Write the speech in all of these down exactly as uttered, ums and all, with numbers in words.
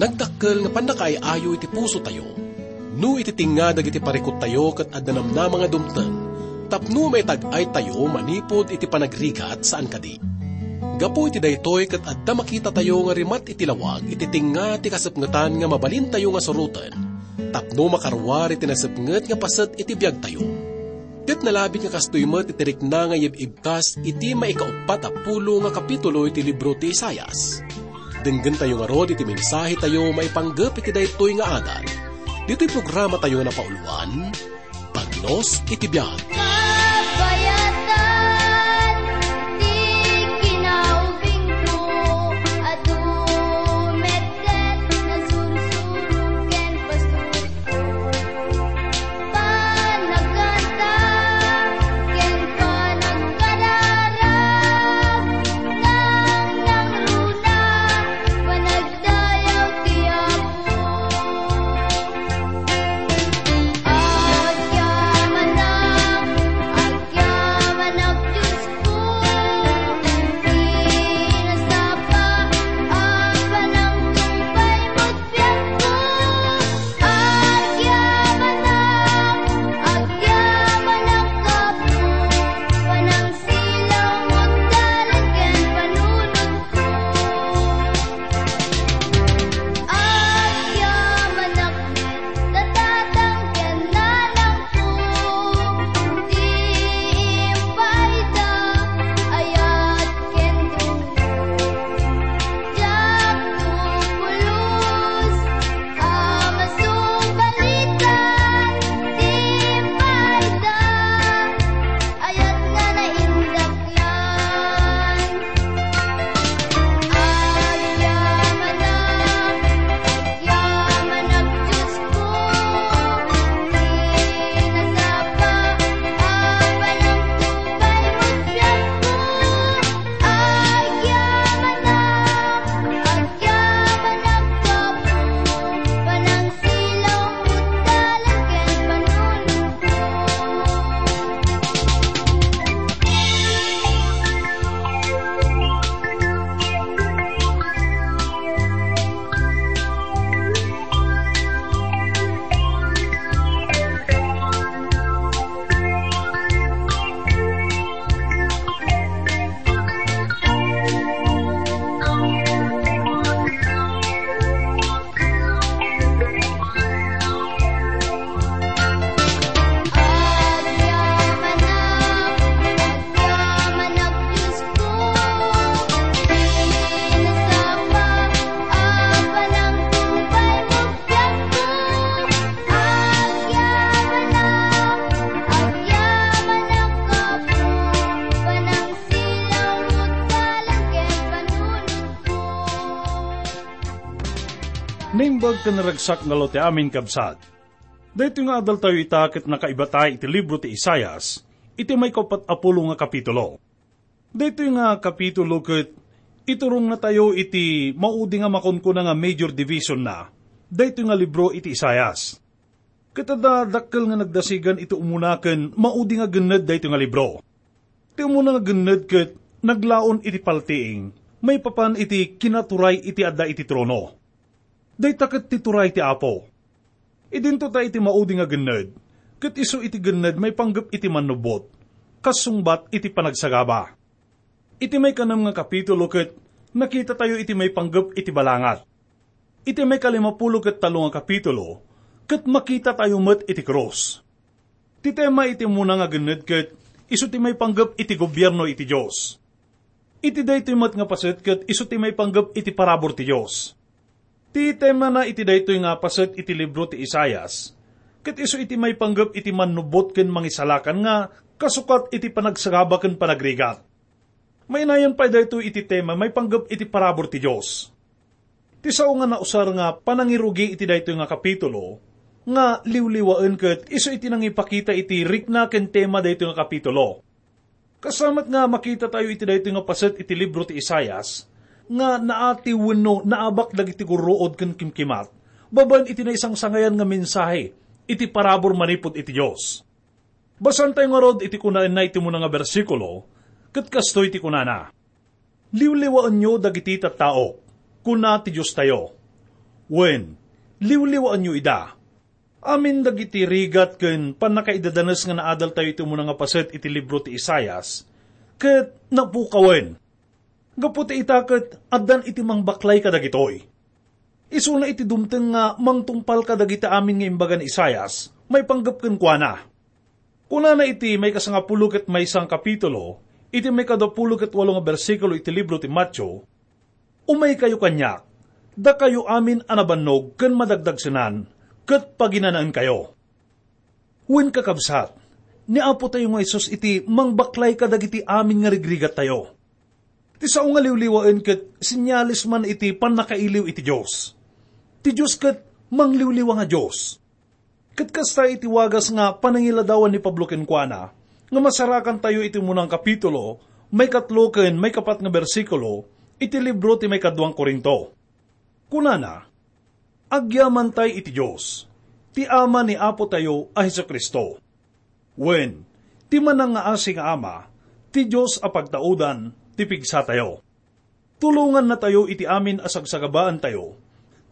Nagdakkel nga pannakaay-ayo iti pusotayo no iti tingnga dagiti parikuttayo ket adda namnama nga dumteng tapno maitag-aytayo manipud iti panagrigat saan kadi. Gapu iti daytoy ket adda makitatayo nga rimat iti lawag iti tingnga ti kasepngetan nga mabalintayo nga suroten tapno makaruar iti nasepnget nga paset iti biagtayo. Ket nalabit nga kastoy met iti rikna nga iyib-ibkas iti maikauppat a pulo nga kapitulo iti libro ti Isaias. Denggentayo ngarud iti mensahetayo maipanggep iti daytoy nga adal. Ditoy programatayo nga napauloan, Pagnos iti Biag. Kabayatan ti kinaubingko, adu met ket nasursuro ken pasurko. Panagkanta ken panagkararag, nangnangruna, panagdayaw ti Apo. Agyamanak, agyamanak, Diosko, ti nasapa a panangtungpay met biagko. Agyamanak, agyamanak, Apo, panangsilaw met dalan ken panunotko. Agyamanak, Tatang ken nanangko, ti impaayda, ayat ken dungdung. Diakto pulos a masungbalit ti impaayda, ayat nga naindaklan. Agyamanak, agyamanak, Diosko, ti nasapa a panangtungpay met biagko. Agyamanak, agyamanak, Apo, panangsilaw met dalan ken panunotko. Agyamanak, agyamanak, Diosko, ti nasapa a panangtungpay met biagko. Agyamanak, agyamanak, Apo, panangsilaw met dalan ken panunotko. Naimbag ken naragsak ngarud ti amin, kabsat. Daytoy nga adaltayo ita ket nakaibata iti libro ti Isaias, iti maikauppat a pulo nga kapitulo. Daytoy nga kapitulo ket iturongnatayo iti maudi nga makunkuna nga major divisionna daytoy nga libro iti Isaias. Ket adda dakkel nga nagdasigan iti umuna ken maudi nga genned daytoy nga libro. Ti umuna nga genned ket naglaon iti paltiing maipapan iti kinaturay iti adda iti trono. Dayta ket ti turay ti Apo. Idinto ta iti maudi nga genned, ket isu iti genned maipanggep iti mannubbot, kas sungbat iti panagsagaba. Iti maikanem nga kapitulo ket nakitatayo iti maipanggep iti balangat. Iti maikalimapulo ket tallo nga kapitulo, ket makitatayo met iti krus. Ti tema iti umuna nga genned ket isu ti maipanggep iti gobierno iti Dios. Iti daytoy met nga paset ket isu ti maipanggep iti parabur ti Dios. Ti temana iti daytoy nga paset iti libro ti Isaias, ket isu iti maipanggep iti mannubbot ken mangisalakan nga kasukat iti panagsagaba ken panagrigat. Mainayon pay daytoy iti tema maipanggep iti parabur ti Dios. Ti sao nga nausar nga panangirugi iti daytoy nga kapitulo, nga liwliwaen ket isu iti nangipakita iti rikna ken tema daytoy nga kapitulo. Kasamet nga makitatayo iti daytoy nga paset iti libro ti Isaias, nga naati wenno naabak dagiti gurruod ken kimkimat, babaen iti naisangsangayan nga mensahe iti parabur manipud iti Dios. Basaentayo ngarud iti kunaenna iti umuna nga bersikulo, ket kastoy ti kunana, "Liwliwaenyo dagiti tattaok," kuna ti Diostayo. Wen, liwliwaenyo ida. Amin dagiti rigat ken pannakaidadanes nga naadaltayo iti umuna nga paset iti libro ti Isaias, ket napukawen. Gapu ta ita ket addan iti mangbaklay kadagitoy. Isuna iti dumteng nga mangtungpal kadagiti amin nga imbaga ni Isaias, maipanggep kenkuana. Kunana iti maikasangapulo ket maysa nga kapitulo, iti maikadapulo ket walo nga bersikulo iti libro ti Mateo, "Umaykayo kaniak, dakayo amin a nabannog ken madagdagsenan, ket paginanaenkayo." Wen, kakabsat, ni Apo tayo nga Jesus iti mangbaklay kadagiti amin nga rigrigattayo. Ti sao nga liwliwaen ket senyales man iti pannakailiw iti Dios. Ti Dios ket mangliwliwa nga Dios. Ket kasta iti wagas nga panangiladawan ni Pablo kenkuana, nga masarakantayo iti umuna nga kapitulo, maikatlo ken maikapat nga bersikulo, iti libro ti maikadua nga Corinto. Kunana, "Agyamantay iti Dios, ti Ama ni Apo tayo a Jesu-Cristo." Wen, ti manangngaasi nga Ama, ti Dios a pagtaudan, ti pigsatayo. Tulongannatayo iti amin a sagsagabaantayo,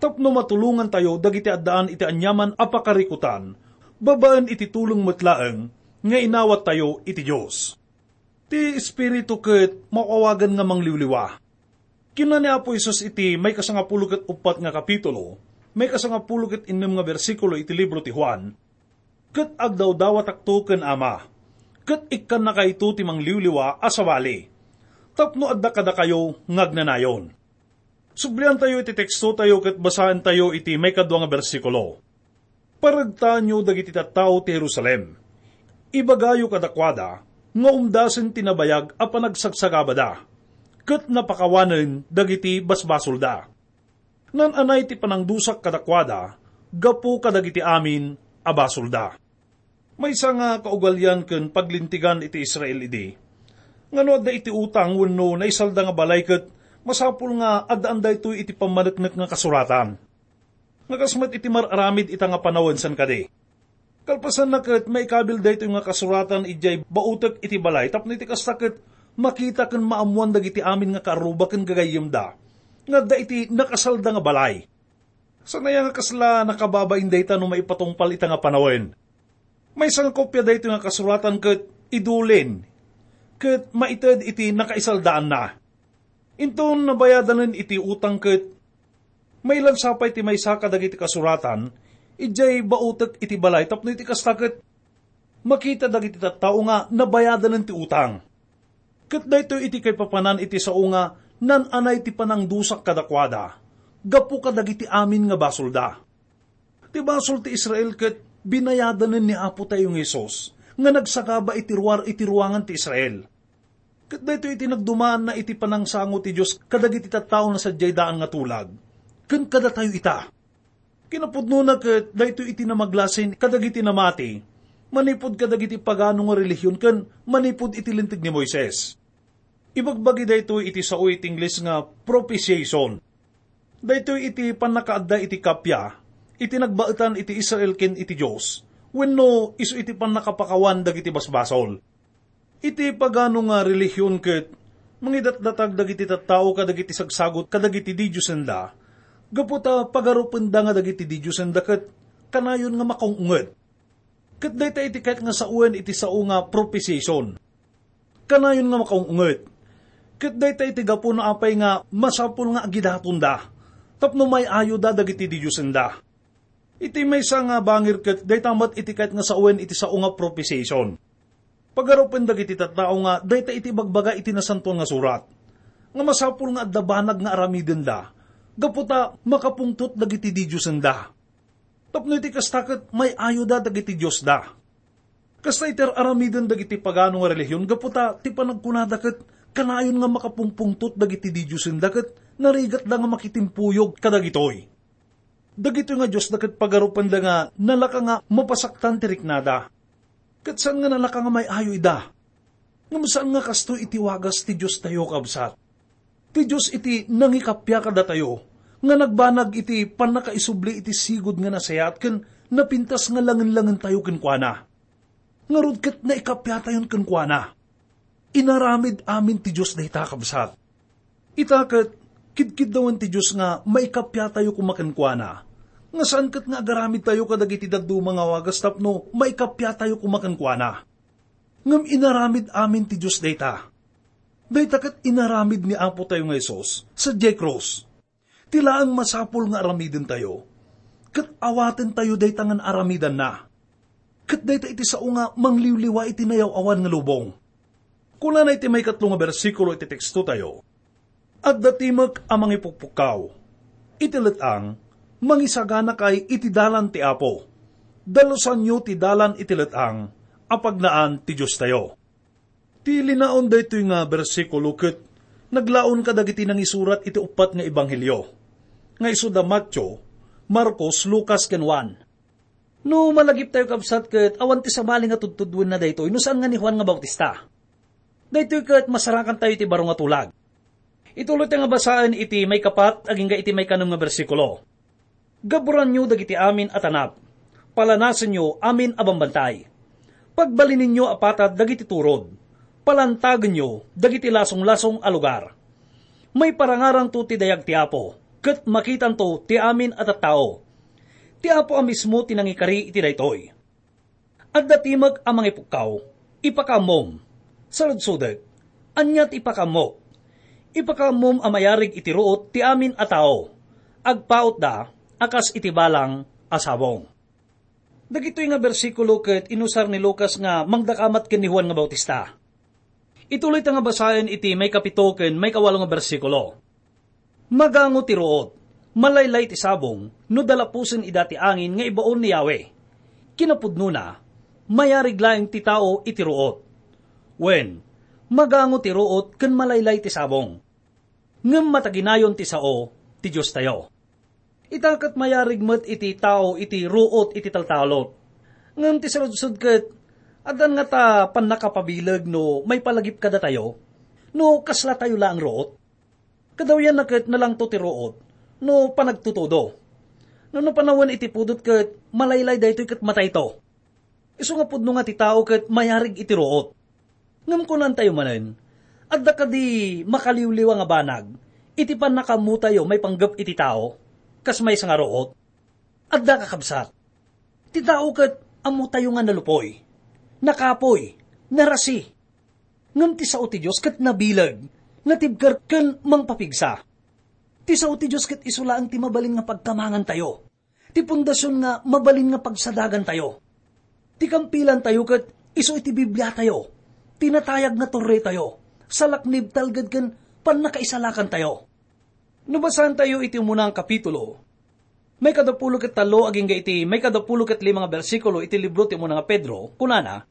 tapno matulongantayo dagiti addaan iti aniaman a pakarikutan, babaen iti tulong met laeng nga inawattayo iti Dios. Ti Espiritu ket maawagan nga mangliwliwa. Kinuna ni Apo Jesus iti maikasangapulo ket uppat nga kapitulo, maikasangapulo ket innem nga bersikulo iti libro ti Juan, "Ket agdawdawatakto ken Ama, ket ikkannakayto ti mangliwliwa a sabali, tapno adda kadakayo nga agnanayon." Subliantayo iti tekstotayo ket basaentayo iti maikadua nga bersikulo. "Paregtaenyo dagiti tattao ti Jerusalem. Ibagayo kadakuada nga umdasen ti nabayag a panagsagsagabada, ket napakawanen dagiti basbasolda. Naan-anay ti panangdusak kadakuada gapu kadagiti amin a basolda." Maysa nga kaugalian ken paglintegan iti Israel idi, nga no adda iti utang wenno naisalda nga balay ket masapul nga addaan daytoy iti pammaneknek nga kasuratan. Nga kas met iti mar-aramid ita nga panawen, saan kadi? Kalpasanna ket maikabil daytoy nga kasuratan idiay bautek iti balay tapno iti kasta ket makita ken maammoan dagiti amin nga kaarruba ken gagayyemda nga adda iti nakasalda nga balay. Saan aya nga kasla nakababain dayta no maipatungpal ita nga panawen? Maysa nga kopia daytoy nga kasuratan ket idulin, ket maited iti nakaisaldaanna. Inton nabayadanen iti utang ket mailansa pay ti maysa kadagiti kasuratan idiay bautek iti balay tapno iti kasta ket makita dagiti tattao nga nabayadanen ti utang. Ket daytoy iti kaipapanan iti sao nga naan-anay ti panangdusak kadakuada gapu kadagiti amin nga basolda. Ti basol ti Israel ket binayadanen ni Apo tayo nga Jesus nga nagsagaba iti ruar iti ruangan ti Israel. Ket daytoy iti nagdumaanna iti panangsango ti Dios kadagiti tattao nga sadiay daan nga tulag, ken kadatayo ita. Kinapudnona ket daytoy iti namaglasin kadagiti namati, manipud kadagiti pagano nga relihion ken manipud iti Linteg ni Moises. Ibagbagi daytoy iti sao iti Ingles nga propitiation. Daytoy iti pannakaadda iti kappia, iti nagbaetan iti Israel ken iti Dios, wenno isu iti pannakapakawan dagiti basbasol. Iti pagano nga relihion ket mangidatdatag dagiti tattao kadagiti sagsagut kadagiti didiosenda, gapu ta pagarupenda nga dagiti didiosenda ket kanayon nga makaung-unget. Ket dayta iti kayat nga sawen iti sao nga propitiation. Kanayon nga makaung-unget. Ket dayta iti gapu no apay nga masapul nga agidatonda tapno may-ayoda dagiti didiosenda. Iti maysa nga bangir ket dayta met iti kayat nga sawen iti sao nga propitiation. Pagarupen dagiti tattao nga dayta iti ibagbaga iti Nasantoan nga Surat, nga masapul nga adda banag nga aramidenda, gapu ta makapungtot dagiti didiosenda. Tapno iti kasta ket may-ayoda dagiti diosda. Kasta iti ar-aramiden dagiti pagano nga relihion gapu ta ti panagkunada ket kanayon nga makapungpungtot dagiti didiosenda ket narigatda nga makitimpuyog kadagitoy. Dagitoy nga diosda ket pagarupenda nga nalaka nga mapasaktan ti riknada. Ket saan nga nalaka nga may-ayo ida. Ngem saan nga kastoy iti wagas ti Diostayo, kabsat. Ti Dios iti nangikappia kadatayo, nga nagbanag iti pannakaisubli iti sigud nga nasayaat ken napintas nga langen-langentayo kenkuana. Ngarud ket naikappiatayon kenkuana. Inaramid amin ti Dios dayta, kabsat. Ita ket, Kidkiddawen ti Dios nga maikappia tayo koma kenkuana. Nga saan ket nga agaramid tayo kadagiti dadduma nga wagas tapno maikappia tayo koma kenkuana. Ngem inaramid amin ti Dios dayta. Dayta ket inaramid ni Apo tayo nga Jesus sadiay krus. Ti laeng masapul nga aramiden tayo, ket awaten tayo dayta nga aramidanna. Ket dayta iti sao nga mangliwliwa iti nayaw-awan nga lubong. Kunana iti maikatlo nga bersikulo iti teksto tayo, "Adda timek a mangipukpukkaw iti let-ang, mangisaganakay iti dalan ti Apo. Dalusanyo ti dalan iti let-ang a pagnaan ti Dios tayo." Ti linaon daytoy nga bersikulo ket naglaon kadagiti nangisurat iti uppat nga ebanghelio, nga isu da Mateo, Marcos, Lucas, ken Juan. No malagiptayo, kabsat, ket awan ti sabali nga tudtuduenna daytoy no saan nga ni Juan nga Bautista. Daytoy ket masarakantayo iti baro nga tulag. Ituloytayo nga basaen iti maikapat agingga iti maikanem nga bersikulo. "Gaburanyo dagiti amin a tanap. Palanasenyo amin a bambantay. Pagbalininyo a patad dagiti turod. Palantagenyo dagiti lasonglasong a lugar. Maiparangarangto ti dayag ti Apo, ket makitanto ti amin a tattao. Ti Apo a mismo ti nangikari iti daytoy." "Adda timek a mangipukkaw. Ipakaammom." Saludsodek, "Ania ti ipakaammok?" "Ipakaammom a mayarig iti ruot ti amin a tao. Agpautda a kas iti balang a sabong." Dagitoy nga bersikulo ket inusar ni Lucas nga mangdakamat ken ni Juan nga Bautista. Ituloyta nga basaen iti maikapito ken maikawalo nga bersikulo. "Magango ti ruot, malaylay ti sabong no dalapusen ida ti angin nga ibaon ni Yahweh. Kinapudnona, mayarig laeng ti tao iti ruot." Wen, magango ti ruot ken malaylay ti sabong. Ngem mataginayon ti sao ti Diostayo. Ita ket mayarig met iti tao iti ruot iti taltalot. Ngem ti saludsod ket, addan ngata pannakapabileg no maipalagip kadatayo? No kaslatayo laeng ruot? Kadawyanna ket nalangto ti ruot no panagtutudo. No napanawen iti pudot ket malaylay daytoy ket matayto. Isu nga pudno nga ti tao ket mayarig iti ruot. Ngem kunantayo manen, adda kadi makaliwliwa nga banag iti pannakaammotayo maipanggep iti tao, kas maysa nga ruot? Adda, kakabsat. Ti tao ket ammotayo nga nalupoy, nakapoy, narasi. Ngem ti sao ti Dios ket nabileg, natibker ken mangpapigsa. Ti sao ti Dios ket isu laeng ti mabalin nga pagkamangantayo, ti pundasion nga mabalin nga pagsadagantayo. Ti kampilantayo ket isu iti Bibliatayo, ti natayag nga torretayo, salaknib, talged ken pannakaisalakantayo. No basaentayo iti umuna nga kapitulo, maikadapulo ket tallo agingga iti maikadapulo ket lima nga bersikulo iti libro ti umuna nga Pedro, kunana,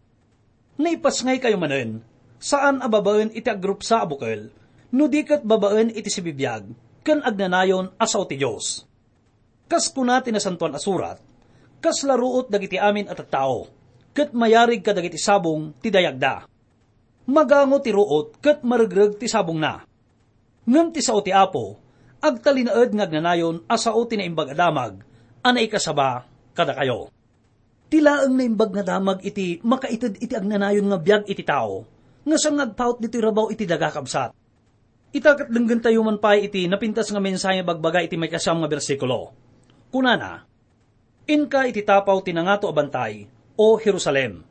"Naipasngaykayo manen, saan a babaen iti agrupsa a bukel, no di ket babaen iti sibibiag ken agnanayon a sao ti Dios." Kas kuna ti Nasantoan a Surat, "Kasla ruot dagiti amin a tattao, ket mayarig kadagiti sabong ti dayagda." Magango ti ruot ket maregreg ti sabongna. Ngem ti sao ti Apo, agtalinaed nga agnanayon a sao ti Naimbag a Damag a naikasaba kadakayo. Ti laeng Naimbag nga Damag iti makaited iti agnanayon nga biag iti tao, nga saan nga agpaut ditoy rabaw iti daga, kabsat. Ita ket denggentayo man pay iti napintas nga mensahe nga ibagbaga iti maikasiam nga bersikulo. Kunana, "Inka iti tapaw ti nangato a bantay, O Jerusalem.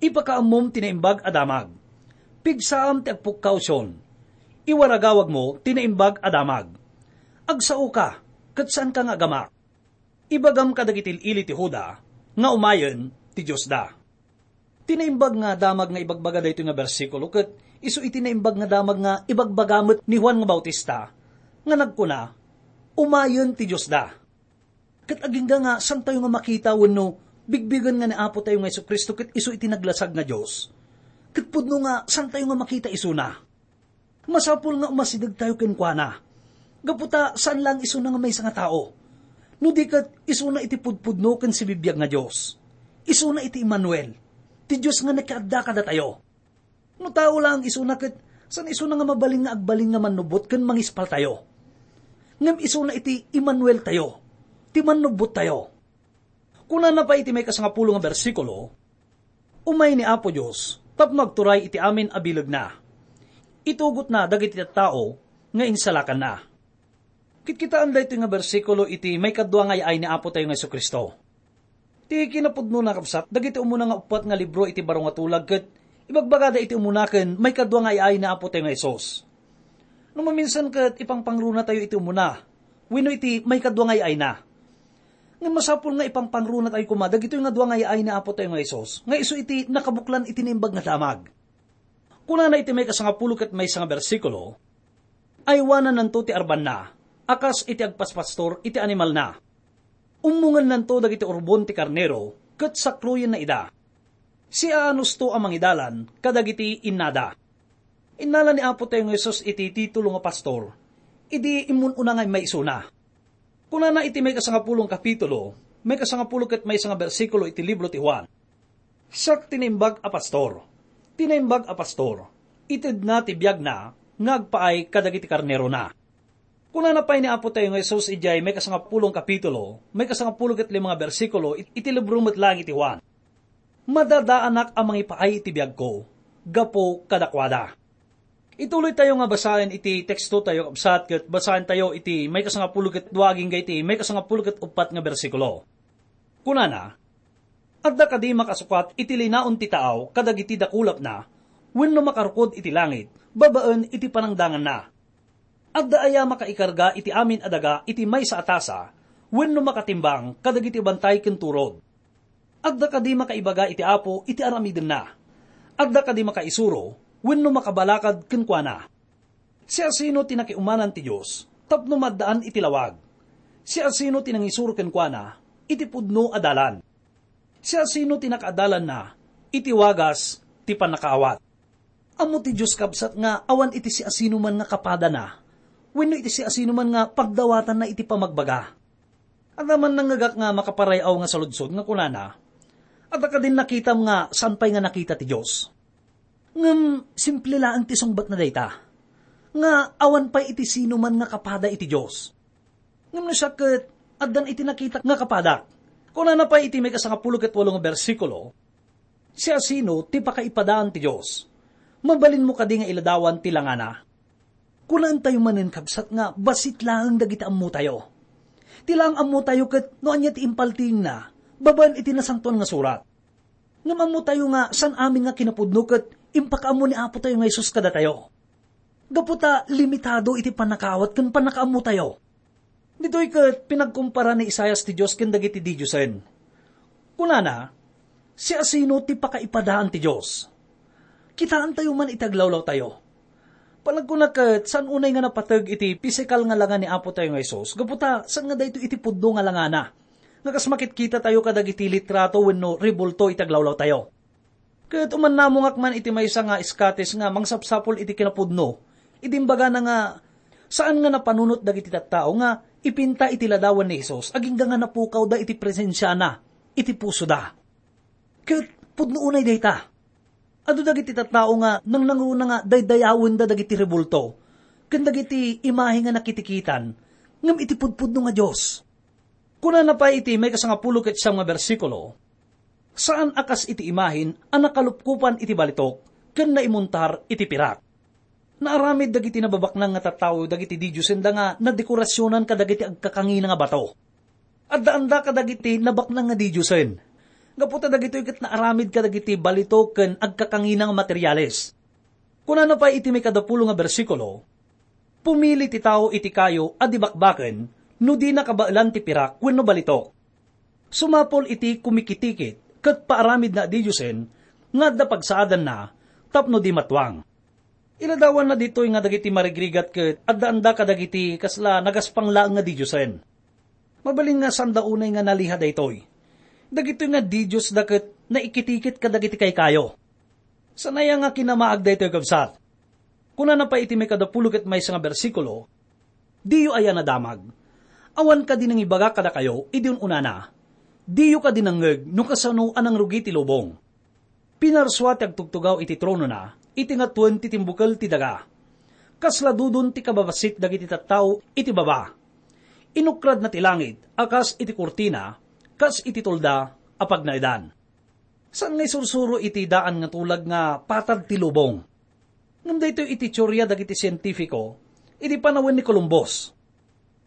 Ipakaammom ti Naimbag a Damag. Pigsaam ti agpukkaw, Sion. Iwaragawagmo ti Naimbag a Damag. Agsaoka, ket saanka nga agamak. Ibagam kadagiti il-ili ti Juda nga umayen ti Diosda." Ti Naimbag nga Damag nga ibagbaga daytoy nga bersikulo ket isu iti Naimbag nga Damag nga ibagbaga met ni Juan nga Bautista, nga nagkuna, "Umayen ti Diosda." Ket agingga nga saantayo nga makita wenno bigbigen nga ni Apo tayo nga Jesu-Cristo ket isu iti naglasag nga Dios. Ket pudno nga saantayo nga makita isuna. Masapul nga umasidegtayo kenkuana. Gapu ta saan laeng isuna nga maysa nga tao. No di ket isuna iti pudpudno ken sibibiag nga Dios. Isuna iti Emmanuel, ti Dios nga nakiadda kadatayo. No tao laeng isuna ket saan isuna nga mabalin nga agbalin nga mannubbot ken mangispaltayo. Ngem isuna iti Emmanuel tayo, ti mannubbot tayo. Kunana pay iti maikasangapulo nga bersikulo, "Umay ni Apo Dios tapno agturay iti amin a bilegna. Itugotna dagiti tattao nga insalakanna." Kitkitaen daytoy nga bersikulo iti maikadua nga ay-ay ni Apo tayo nga Jesu-Cristo. Ti kinapudnona, kabsat, dagiti umuna nga uppat nga libro iti baro nga tulag ket ibagbagada iti umuna ken maikadua nga ay-ay ni Apo tayo nga Jesus. No maminsan ket ipangpangruna tayo iti umuna wenno iti maikadua nga ay-ayna. Ngem masapul nga ipangpangruna tayo koma dagitoy nga dua nga ay-ay ni Apo tayo nga Jesus nga isu iti nakabuklan iti Naimbag nga Damag. Kunana iti maikasangapulo ket maysa nga bersikulo, "Aywanannanto ti arbanna a kas iti agpaspastor iti animalna. Ummongennanto dagiti urbon ti karnero ket sakroyenna ida. Siaanusto a mangidalan kadagiti innada." Innala ni Apo tayo nga Jesus iti titulo nga pastor idi immun-una nga immaisuna. Kunana iti maikasangapulo nga kapitulo, maikasangapulo ket maysa nga bersikulo iti libro ti Juan, "Siak ti naimbag a pastor. Ti naimbag a pastor, itedna ti biagna nga agpaay kadagiti karnerona." Kunana pay ni Apo tayo nga Jesus idiay maikasangapulo nga kapitulo, maikasangapulo ket lima nga bersikulo it-, iti libro met laeng iti Juan, "Madadaanak a mangipaay iti biagko gapu kadakuada." Ituloy tayo nga basaen iti teksto tayo, kabsat, ket basaen tayo iti maikasangapulo ket dua agingga iti maikasangapulo ket uppat nga bersikulo. Kunana, "Adda kadi makasukat iti linaon ti taaw kadagiti dakulapna wenno makarukod iti langit babaen iti panangdanganna? Adda aya makaikarga iti amin a daga iti maysa a tasa wenno makatimbang kadagiti bantay ken turod? Adda kadi makaibaga iti Apo iti aramidenna? Adda kadi makaisuro wenno makabalakad kenkuana? Siasino ti nakiumanan ti Dios tapno maaddaan iti lawag? Siasino ti nangisuro kenkuana iti pudno a dalan? Siasino ti nakaadalanna iti wagas ti pannakaawat?" Ammo ti Dios, kabsat, nga awan iti siasinoman nga kapadana wenno iti siasinoman nga pagdawatanna iti pamagbaga. Adda man nangngegak nga makaparay-aw nga saludsod nga kunana, "Adda kadin nakitam nga saan pay nga nakita ti Dios?" Ngem simple laeng ti sungbatna dayta, nga awan pay iti sinoman nga kapada iti Dios. Ngem no siak ket, addan iti nakita nga kapadak. Kunana pay iti maikasangapulo ket walo nga bersikulo, "Siasino ti pakaipadaan ti Dios? Mabalinmo kadi nga iladawan ti langana?" Kunaentayo manen, kabsat, nga bassit laeng dagiti ammotayo. Ti laeng ammotayo ket no ania ti impaltiingna babaen iti Nasantoan nga Surat. Ngem ammotayo nga saan amin nga kinapudno ket impakaammo ni Apo tayo nga Jesus kadatayo. Gapu ta limitado iti pannakaawat ken pannakaammotayo. Ditoy ket pinagkumpara ni Isaias ti Dios ken dagiti didiosen. Kunana, "Siasino ti pakaipadaan ti Dios?" Kitaentayo man iti aglawlawtayo. Panagkuna ket, saan unay nga napateg iti pisikal nga langa ni Apo tayo nga Jesus, gapu ta saan nga daytoy iti pudno nga langana, nga kas makitkita tayo kadagiti litrato wenno rebulto iti aglawlawtayo. Ket umannamongak man iti maysa nga iskatis nga mangsapsapul iti kinapudno, idi imbagana nga saan nga napanunot dagiti tattao nga ipinta iti ladawan ni Jesus agingga nga napukawda iti presensiana iti pusoda. Ket pudno unay dayta. Adu dagiti tattao nga nangnangruna nga daydayawenda dagiti rebulto ken dagiti imahe nga nakitikitan, ngem iti pudpudno nga Dios. Kunana pay iti maikasangapulo ket siam nga bersikulo, "Saan a kas iti imahen a nakalupkopan iti balitok ken naimuntar iti pirak." Naaramid dagiti nababaknang nga tattao dagiti didiosenda nga nadekorasionan kadagiti agkakangina nga bato. Addaanda kadagiti nabaknang nga didiosen, gapu ta dagitoy ket naaramid kadagiti balitok ken agkakangina nga materiales. Kunana pay iti maikadapulo nga bersikulo, "Pumili ti tao iti kayo a di bakbaken no dina kabaelan ti pirak wenno balitok. Sumapul iti kumikitikit ket paaramidna a didiosen nga adda pagsaadanna tapno di matuang." Iladawanna ditoy nga dagiti marigrigat ket addaanda kadagiti kasla nagaspang laeng nga didiosen. Mabalin nga saanda unay nga naliha daytoy. Dagitoy nga didiosda ket naikitikit kadagiti kaykayo. Saan aya nga kinamaag daytoy, kabsat? Kunana pay iti maikadapulo ket maysa nga bersikulo, "Diyo aya nadamag? Awan kadi nangibaga kadakayo idi un-unana? Diyo kadi nangngeg no kasano a nangrugi ti lubong? Pinarsua ti agtugtugaw iti tronona iti ngatuen ti timbukel ti daga. Kasla dudon ti kababassit dagiti tattao iti baba. Inukradna ti langit a kas iti kurtina, kas iti tulda a pagnaedan." Saan nga isursuro iti daan nga tulag nga patad ti lubong. Ngem daytoy iti teoria dagiti sientifiko idi panawen ni Columbus.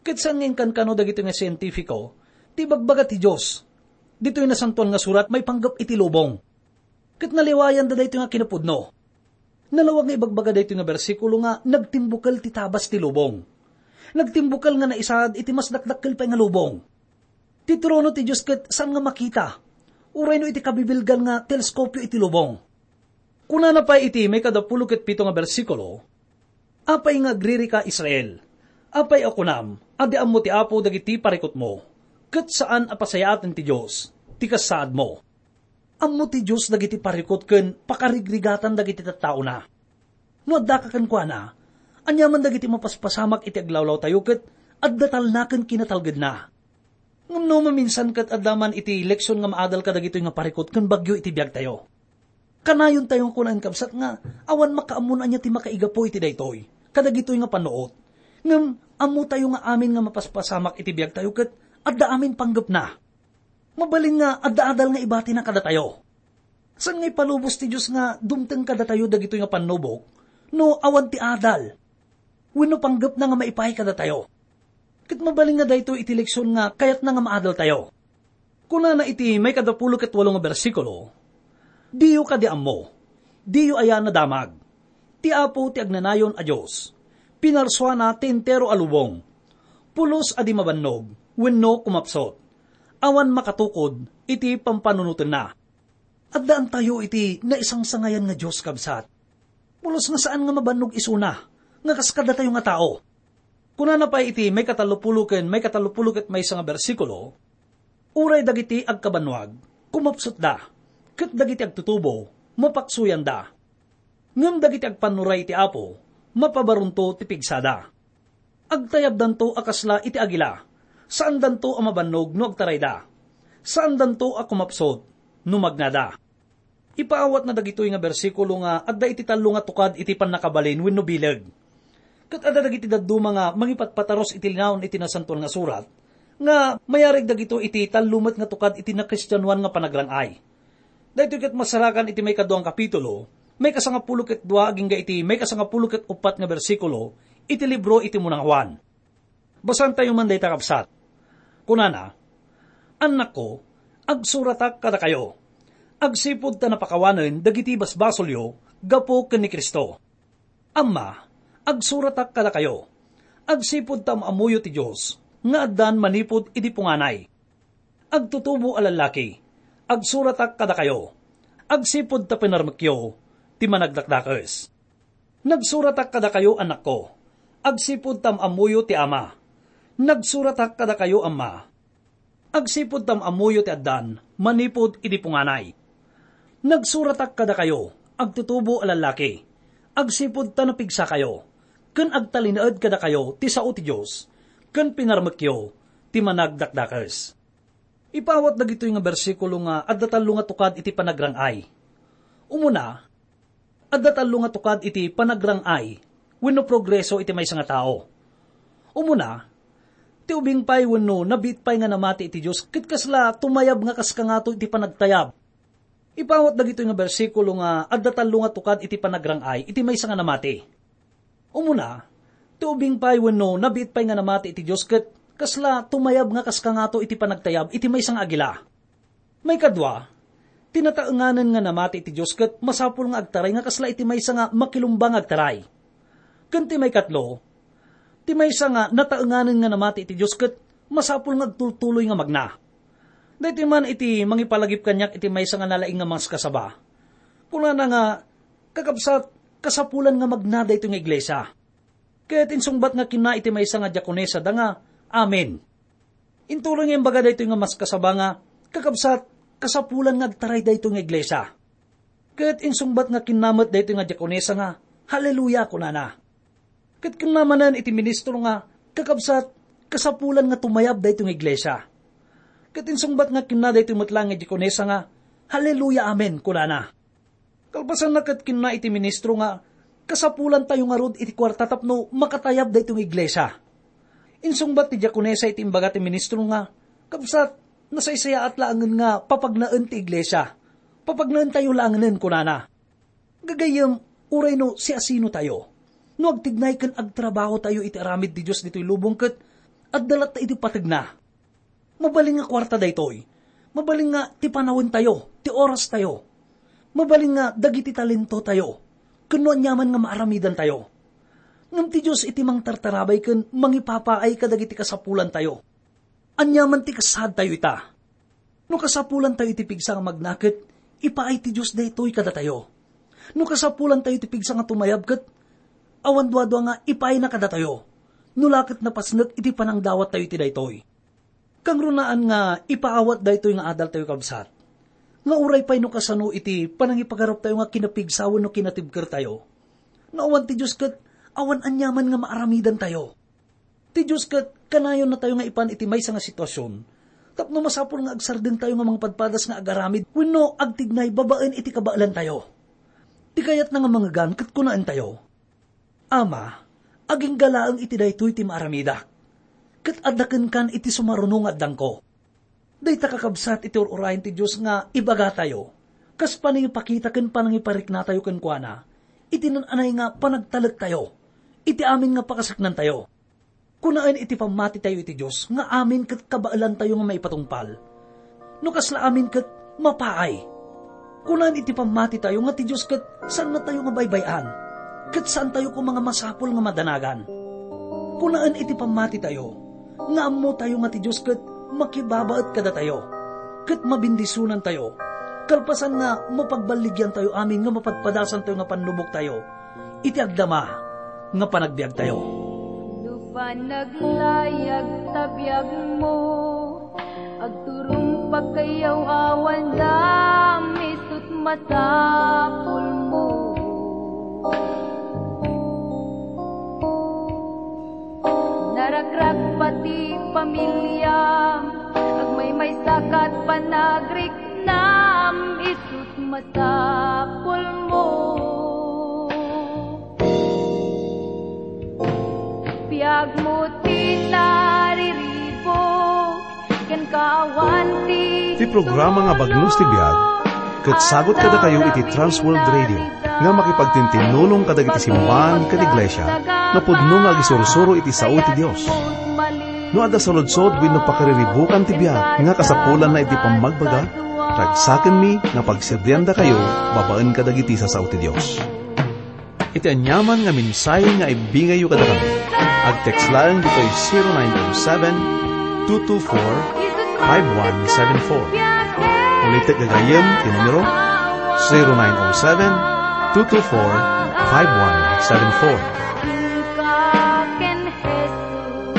Ket saan nga inkankano dagitoy nga sientifiko ti ibagbaga ti Dios ditoy Nasantoan nga Surat maipanggep iti lubong. Ket naliwayanda daytoy nga kinapudno. Nalawag nga ibagbaga daytoy nga bersikulo nga nagtimbukel ti tabas ti lubong. Nagtimbukel nga naisaad iti mas dakdakkel pay nga lubong. Ti trono ti Dios ket saan nga makita, uray no iti kabibilgan nga teleskopio iti lubong. Kunana pay iti maikadapulo ket pito nga bersikulo, "Apay nga agririka, Israel? Apay a kunam a di ammo ti Apo dagiti parikutmo, ket saan a pasayaaten ti Dios ti kasaadmo?" Ammo ti Dios dagiti parikut ken pakarigrigatan dagiti tattaona. No addaka kenkuana, aniaman dagiti mapaspasamak iti aglawlawtayo ket adda talna ken kinatalgedna. Ngem no maminsan ket adda man iti leksion nga maadal kadagitoy nga parikut ken bagyo iti biagtayo. Kanayontayo nga kunaen, kabsat, nga awan makaammo no ania ti makaigapu iti daytoy kadagitoy nga pannuot. Ngem ammotayo nga amin nga mapaspasamak iti biagtayo ket adda amin panggepna. Mabalin nga adda adal nga ibatina kadatayo. Saan nga ipalubos ti Dios nga dumteng kadatayo dagitoy nga pannubok no awan ti adal wenno panggepna nga maipaay kadatayo. Ket mabalin nga daytoy iti leksion nga kayatna nga maadaltayo. Kunana iti maikadapulo ket walo nga bersikulo, "Diyo kadi ammo, diyo aya nadamag. Ti Apo ti agnanayon a Dios. Pinarsuana ti entero a lubong. Pulos a di mabannog wenno kumapsut. Awan makatukod iti pampanunotenna." Addaantayo iti naisangsangayan nga Dios, kabsat. Pulos nga saan nga mabannog isuna nga kas kadatayo nga tao. Kunana pay iti maikatallopulo ken maikatallopulo ket maysa nga bersikulo, "Uray dagiti agkabannuag, kumapsutda, ket dagiti agtutubo, mapaksoyanda. Ngem dagiti agpannuray iti Apo, mapabarunto ti pigsada. Agtayabdanto a kasla iti agila, saandanto a mabannog no agtarayda, saandanto a kumapsut no magnada." Ipaawatna dagitoy nga bersikulo nga adda iti tallo nga tukad iti pannakabalin wenno bileg. Ket adda dagiti dadduma nga mangipatpatarus iti linaon iti Nasantoan nga Surat nga mayarig dagitoy iti tallo met nga tukad iti nakristianoan nga panagrang-ay. Daytoy ket masarakan iti maikadua nga kapitulo, maikasangapulo ket dua agingga iti maikasangapulo ket uppat nga bersikulo iti libro iti Muna nga Juan. Basaentayo man dayta, kabsat. Kunana, "Annakko, agsuratak kadakayo, agsipud ta napakawanen dagiti basbasolyo gapu ken ni Cristo. Amma, agsuratak kadakayo, agsipud ta am-ammoyo ti Dios nga addan manipud idi punganay. Agtutubo a lallaki, agsuratak kadakayo, agsipud ta pinarmekyo ti Managdakdakes. Nagsuratak kadakayo, annakko, agsipud ta am-ammoyo ti Ama. Nagsuratak kadakayo, amma, agsipud ta am-ammoyo ti addan manipud idi punganay. Nagsuratak kadakayo, agtutubo a lallaki, agsipud ta napigsakayo, ken agtalinaed kadakayo ti sao ti Dios, ken pinarmekyo ti Managdakdakes." Ipaawat dagitoy nga bersikulo nga adda tallo nga tukad iti panagrang-ay. Umuna, adda tallo nga tukad iti panagrang-ay wenno progreso iti maysa nga tao. Umuna, ti ubing pay wenno nabiit pay nga namati iti Dios ket kasla tumayab nga kas kangato iti panagtayab. Ipaawat dagitoy nga bersikulo nga adda tallo nga tukad iti panagrang-ay iti maysa nga namati. Umuna, ti ubing pay wenno nabiit pay nga namati iti Dios ket kasla tumayab nga kas kangato iti panagtayab iti maysa nga agila. Maikadua, ti nataenganen nga namati iti Dios ket masapul nga agtaray nga kasla iti maysa nga makilumba nga agtaray. Ken ti maikatlo, ti maysa nga nataenganen nga namati iti Dios ket masapul nga agtultuloy nga magna. Daytoy man iti mangipalagip kaniak iti maysa nga nalaing nga maskasaba. Kunana nga, "Kakabsat, kasapulan nga magna daytoy nga iglesia." Ket insungbat nga kinna iti maysa nga diakonesa da nga, "Amen." Intuloy nga imbaga daytoy nga maskasaba nga, "Kakabsat, kasapulan nga agtaray daytoy nga iglesia." Ket insungbat nga kinna met daytoy nga diakonesa nga, "Haleluya," kunana. Ket kinna manen iti ministro nga, "Kakabsat, kasapulan nga tumayab daytoy nga iglesia." Ket insungbat nga kinna daytoy met laeng nga diakonesa nga, "Haleluya, amen," kunana. Kalpasanna ket kinna iti ministro nga, "Kasapulantayo ngarud iti kuarta tapno makatayab daytoy nga iglesia." Insungbat ti diakonesa iti imbaga ti ministro nga, "Kabsat, nasaysayaat laengen nga papagnaen ti iglesia. Papagnaentayo laengenen," kunana. Gagayyem, uray no siasinotayo, no agtignay ken agtrabahotayo iti aramid ti Dios ditoy lubong ket Adda latta iti pategna. Mabalin nga kuarta daytoy. Mabalin nga ti panawentayo, ti orastayo. Mabalin nga dagiti talentotayo. Ken no aniaman nga maaramidantayo. Ngem ti Dios iti mangtartarabay ken mangipapaay kadagiti kasapulantayo. Aniaman ti kasaadtayo ita. No kasapulantayo iti pigsa nga magna ket ipaay ti Dios daytoy kadatayo. No kasapulantayo iti pigsa nga tumayab ket awan duadua nga ipaayna kadatayo. No la ket napasnek iti panangdawattayo iti daytoy. Kangrunaan nga ipaawat daytoy nga adaltayo, kabsat, nga uray pay no kasano iti panangipagaruptayo nga kinapigsa wenno kinatibkertayo, no awan ti Dios ket awan aniaman nga maaramidantayo. Ti Dios ket kanayonnatayo nga ipan iti maysa nga sitwasion tapno masapul nga agsardengtayo nga mangpadpadas nga agaramid wenno agtignay babaen iti kabaelantayo. Ti kayatna nga mangegan ket kunaentayo, "Ama, agingga laeng iti daytoy ti maaramidak, ket adda kenkan iti sumaruno nga addangko." Dayta, kakabsat, iti ur-urayen ti Dios nga ibagatayo, kas panangipakita ken panangipariknatayo kenkuana, iti naan-anay nga panagtalektayo, iti amin nga pakaseknantayo. Kunaen iti pammatitayo iti Dios nga amin ket kabaelantayo nga maipatungpal. No kasla amin ket mapaay. Kunaen iti pammatitayo nga ti Dios ket saannatayo nga baybay-an, ket saantayo koma nga masapul nga madanagan. Kunaen iti pammatitayo nga ammotayo nga ti Dios ket makibabaet kadatayo, ket mabendisonantayo, kalpasan nga mapagballigiantayo amin nga mapadpadasantayo nga pannuboktayo iti agdama nga panagbiagtayo. No panaglayag ta biagmo, agturong pagkayaw awan dam, isut masapulmo. Narakrak pati pamiliam, agmaymaysa kat panagriknam, isut masapulmo. Biagmo ti nariribuk, ken kaawan ti Ti programa nga Bagnos ti Biag, ket sagut kadakayo iti Trans World Radio, nga makipagtintinnulong kadagiti simbahan ken iglesia nga pudno nga agisursuro iti sao ti Dios. No adda saludsod wenno pakariribukan ti biag nga kasapulanna iti pammagbaga, ragsakenmi nga pagserdiandakayo babaen kadagiti sasao ti Dios. Iti aniaman nga mensahe nga ibingayyo kadakami, agtext laeng ditoy zero nine oh seven, two two four, five one seven four. Ulitek gagayyem ti numero, zero nine oh seven, two two four, five one seven four. Inka ken Jesus,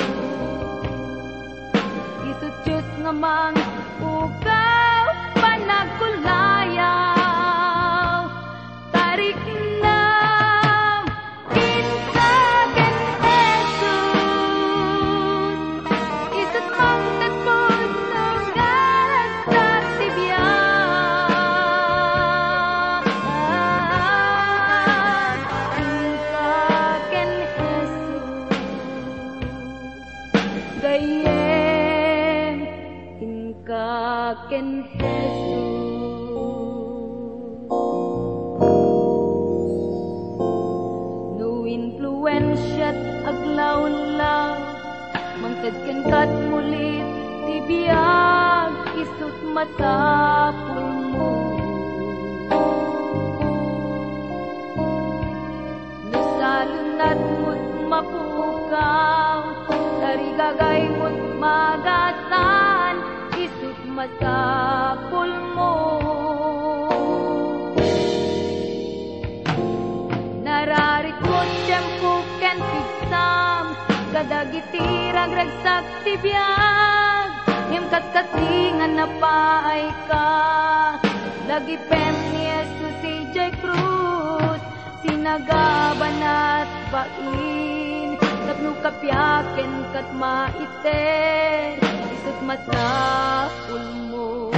isu Dios nga mangpukaw, panagkulayaw, tariknam, inka ken Jesus, isut mangted pudno nga ragsak ti biag. Inka ken Jesus, gayyem, inka ken Jesus. No influensiat aglawnlaw, mangted kenka ket mulit ti biag, isut masapulmo. No salunatmo ket mapukaw, tarigagaymo ket magasaan, isut masapulmo. Nararitmo ti tiempo ken pigsam kadagiti ragragsak ti biag, ngem katkatdi nga napaayka, dagipem ni Jesus idiay krus, sinagabanat bain tapno kapiaken ket maited, isut masapulmo.